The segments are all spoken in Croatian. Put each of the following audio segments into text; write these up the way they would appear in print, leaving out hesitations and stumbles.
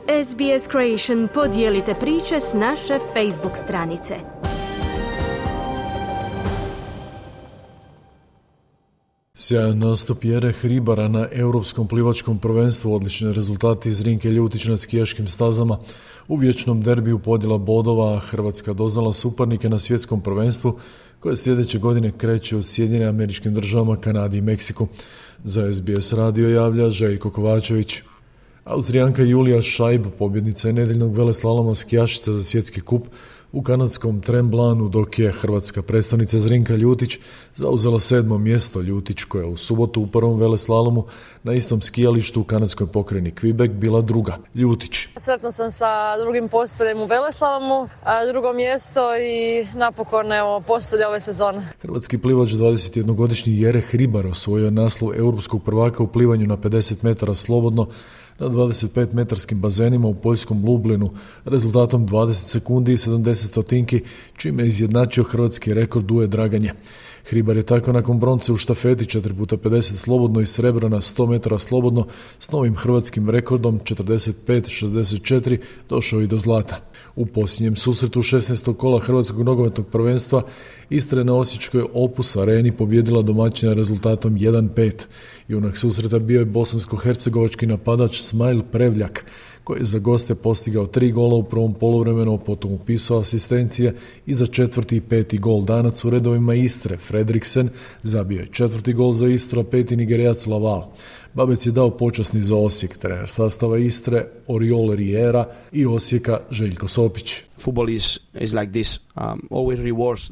SBS Creation, podijelite priče s naše Facebook stranice. Sjajan nastup Jere Hribara na Europskom plivačkom prvenstvu, odlični rezultati iz Rinke Ljutić na skijaškim stazama. U vječnom derbiju podjela bodova Hrvatska doznala suparnike na svjetskom prvenstvu koje sljedeće godine kreće u Sjedinjenim Američkim Državama, Kanadi i Meksiku. Za SBS radio javlja Željko Kovačević. Austrijanka Julija Šajb, pobjednica je nedjeljnog veleslaloma skijašica za svjetski kup u kanadskom Tremblanu, dok je hrvatska predstavnica Zrinka Ljutić zauzela 7. mjesto. Ljutić, koja u subotu u prvom veleslalomu na istom skijalištu u kanadskoj pokrajini Quebec bila druga. Ljutić. Sretna sam sa drugim postoljem u veleslalomu, drugo mjesto i napokon postolje ove sezone. Hrvatski plivač 21-godišnji Jere Hribar osvojio naslov europskog prvaka u plivanju na 50 metara slobodno na 25-metarskim bazenima u poljskom Lublinu rezultatom 20 sekundi i 70 stotinki, čime je izjednačio hrvatski rekord Duje Draganje. Hribar je tako nakon bronce u štafeti 4x50 slobodno i srebra na 100 metara slobodno s novim hrvatskim rekordom 45-64 došao i do zlata. U posljednjem susretu 16. kola Hrvatskog nogometnog prvenstva Istra je na osječkoj Opus Areni pobjedila domaćina rezultatom 1-5. Junak susreta bio je bosansko-hercegovački napadač Smajl Prevljak, koji je za goste postigao 3 gola u prvom poluvremenu, potom upisao asistencije i za 4. i 5. gol. Danac u redovima Istre, Fredriksen, zabio je 4. gol za Istru, a 5. Nigerijac Laval. Babec je dao počasni za Osijek. Trener sastava Istre, Oriol Riera, i Osijeka, Željko Sopić. Football is like this. Always rewards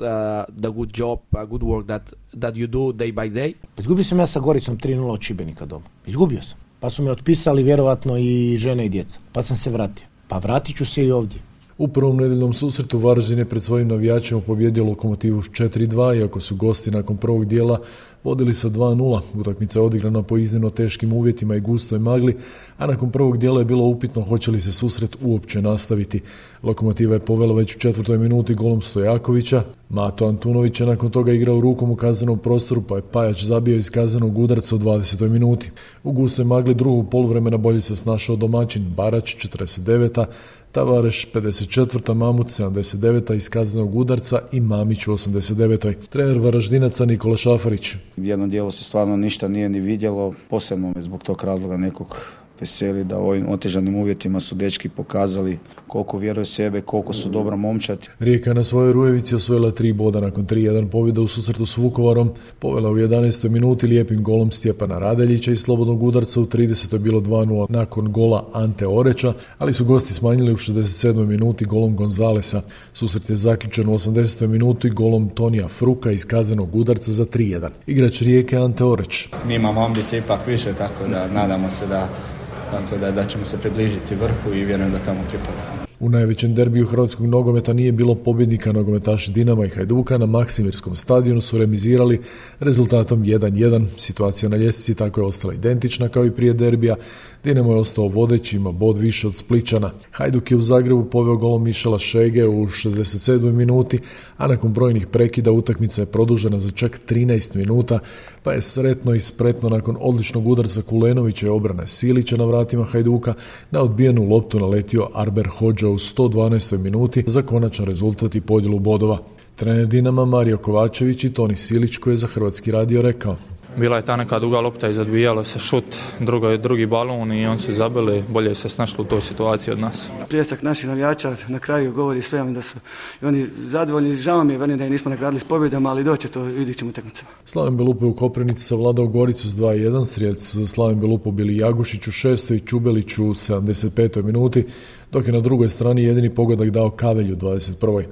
the good job, good work that you do day by day. Izgubio sam ja sa Goricom 3-0 od Šibenika doma. Izgubio sam. Pa su me otpisali vjerovatno i žene i djeca. Pa sam se vratio. Pa vratit ću se i ovdje. U prvom nedeljnom susretu Varaždin je pred svojim navijačima pobjedio Lokomotivu 4-2, iako su gosti nakon prvog dijela vodili sa 2-0. Utakmica je odigrana po iznimno teškim uvjetima i gustoj magli, a nakon prvog dijela je bilo upitno hoće li se susret uopće nastaviti. Lokomotiva je povela već u 4. minuti golom Stojakovića. Mato Antunović je nakon toga igrao rukom u kaznenom prostoru, pa je Pajač zabio iz kaznenog udarca u 20. minuti. U gustoj magli drugog poluvremena bolje se snašao domaćin Barać 49. Tavareš 54. Mamut 79. iz kaznenog udarca i Mamić u 89. Trener Varaždinaca Nikola Šafarić. Jedno dijelo se stvarno ništa nije ni vidjelo, posebno me zbog tog razloga nekog veseli da u ovim otežanim uvjetima su dečki pokazali koliko vjeruju sebe, koliko su dobra momčad. Rijeka na svojoj Rujevici osvojila 3 boda nakon 3-1 pobjeda u susretu s Vukovarom, povela u 11. minuti lijepim golom Stjepana Radeljića i slobodnog udarca u 30. bilo 2-0 nakon gola Ante Oreća, ali su gosti smanjili u 67. minuti golom Gonzalesa. Susret je zaključen u 80. minuti golom Tonija Fruka iz kaznenog udarca za 3-1. Igrač Rijeke Ante Oreć. Mi imamo ambicije ipak više, tako da nadamo se da ćemo se približiti vrhu i vjerujem da tamo pripadamo. U najvećem derbiju hrvatskog nogometa nije bilo pobjednika. Nogometaši Dinama i Hajduka na Maksimirskom stadionu su remizirali rezultatom 1-1. Situacija na ljestvici tako je ostala identična kao i prije derbija. Dinamo je ostao vodeći, ima bod više od Splićana. Hajduk je u Zagrebu poveo golom Mišela Šege u 67. minuti, a nakon brojnih prekida utakmica je produžena za čak 13 minuta, pa je sretno i spretno nakon odličnog udarca Kulenovića i obrane Silića na vratima Hajduka na odbijenu loptu naletio Arber Hodža u 112. minuti za konačan rezultat i podjelu bodova. Trener Dinama Mario Kovačević i Toni Silić, koji je za Hrvatski radio rekao: bila je ta neka duga lopta i zadvijalo se šut, drugi balon i on su zabili, bolje se snašli u toj situaciji od nas. Pljesak naših navijača na kraju govori sve da su i oni zadovoljni. Žao mi je da ih nismo nagradili s pobjedama, ali doće to u idućim utakmicama. Slaven Belupo u Koprivnici savladao Goricu s 2-1. Strijelci su za Slaven Belupo bili Jagušić u 6. i Čubelić u 75. minuti, dok je na drugoj strani jedini pogodak dao Kavelj u 21.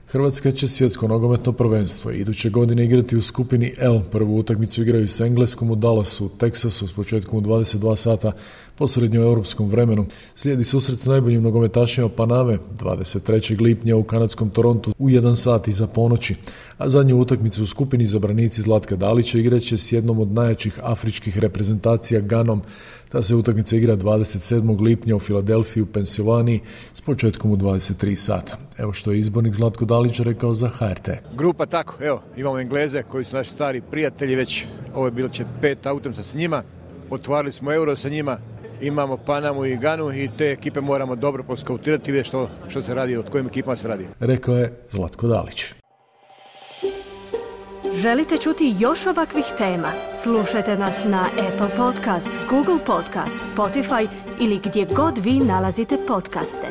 Hrvatska će svjetsko nogometno prvenstvo iduće godine igrati u skupini L. Prvu utakmicu igraju s Engleskom u Dallasu, u Teksasu, s početkom u 22 sata po srednjoeuropskom vremenu. Slijedi susret s najboljim nogometašima Paname 23. lipnja u kanadskom Torontu u 1 sat iza ponoći, a zadnju utakmicu u skupini izabranici Zlatka Dalića igraće s jednom od najjačih afričkih reprezentacija Ganom. Ta se utakmica igra 27. lipnja u Filadelfiji u Pensilvaniji s početkom u 23 sata. Evo što je izbornik Zlatko Dalić rekao za HRT. Grupa tako, evo, imamo Engleze koji su naši stari prijatelji već, ovo je bilo će 5. utakmica s njima, otvarali smo Euro sa njima imamo Panamu i Ganu i te ekipe moramo dobro poskautirati i vidjeti što se radi, od kojim ekipama se radi. Rekao je Zlatko Dalić. Želite čuti još ovakvih tema? Slušajte nas na Apple Podcast, Google Podcast, Spotify ili gdje god vi nalazite podcaste.